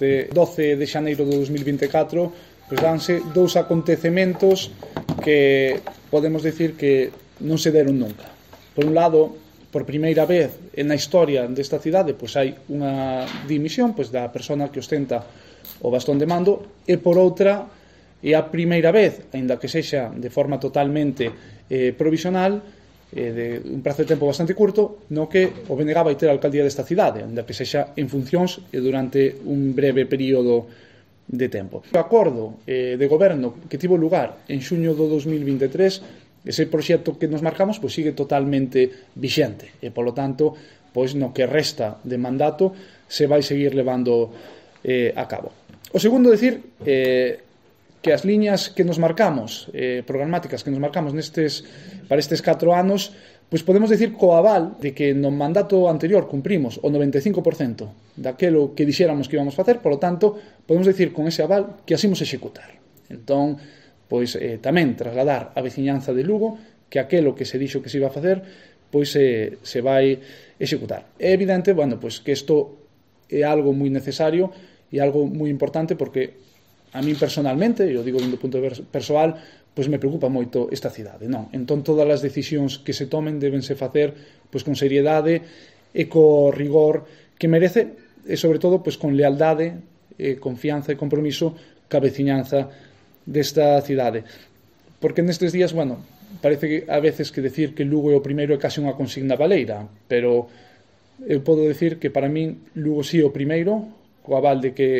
este 12 de xaneiro de 2024, pois danse dous acontecementos que podemos decir que non se deron nunca. Por un lado, por primeira vez na historia desta cidade, pois hai unha dimisión pois da persona que ostenta o bastón de mando, e por outra, é a primeira vez, aínda que sexa de forma totalmente provisional, de un prazo de tempo bastante curto, no que o BNG vai ter a alcaldía desta cidade, aínda que sexa en funcións e durante un breve período de tempo. O acordo de goberno que tivo lugar en xuño do 2023, ese proxecto que nos marcamos pois sigue totalmente vixente e, polo tanto, pois no que resta de mandato se vai seguir levando a cabo. O segundo, decir que as liñas que nos marcamos, programáticas que nos marcamos para estes 4 anos, pois podemos decir co aval de que no mandato anterior cumprimos o 95% daquelo que dixéramos que íbamos facer, polo tanto, podemos decir con ese aval que así imos executar. Entón, pois tamén trasladar a veciñanza de Lugo que aquelo que se dixo que se iba a facer, pois se vai executar. É evidente, bueno, pois que isto é algo moi necesario e algo moi importante porque a min personalmente, eu digo do punto de vista persoal, pois me preocupa moito esta cidade, non? Entón todas as decisións que se tomen debense facer pois con seriedade e co rigor que merece e sobre todo pois con lealdade, confianza e compromiso ca veciñanza desta cidade. Porque nestes días, bueno, parece que a veces que decir que Lugo é o primeiro é case unha consigna baleira, pero eu podo decir que para min Lugo sí é o primeiro, co aval de que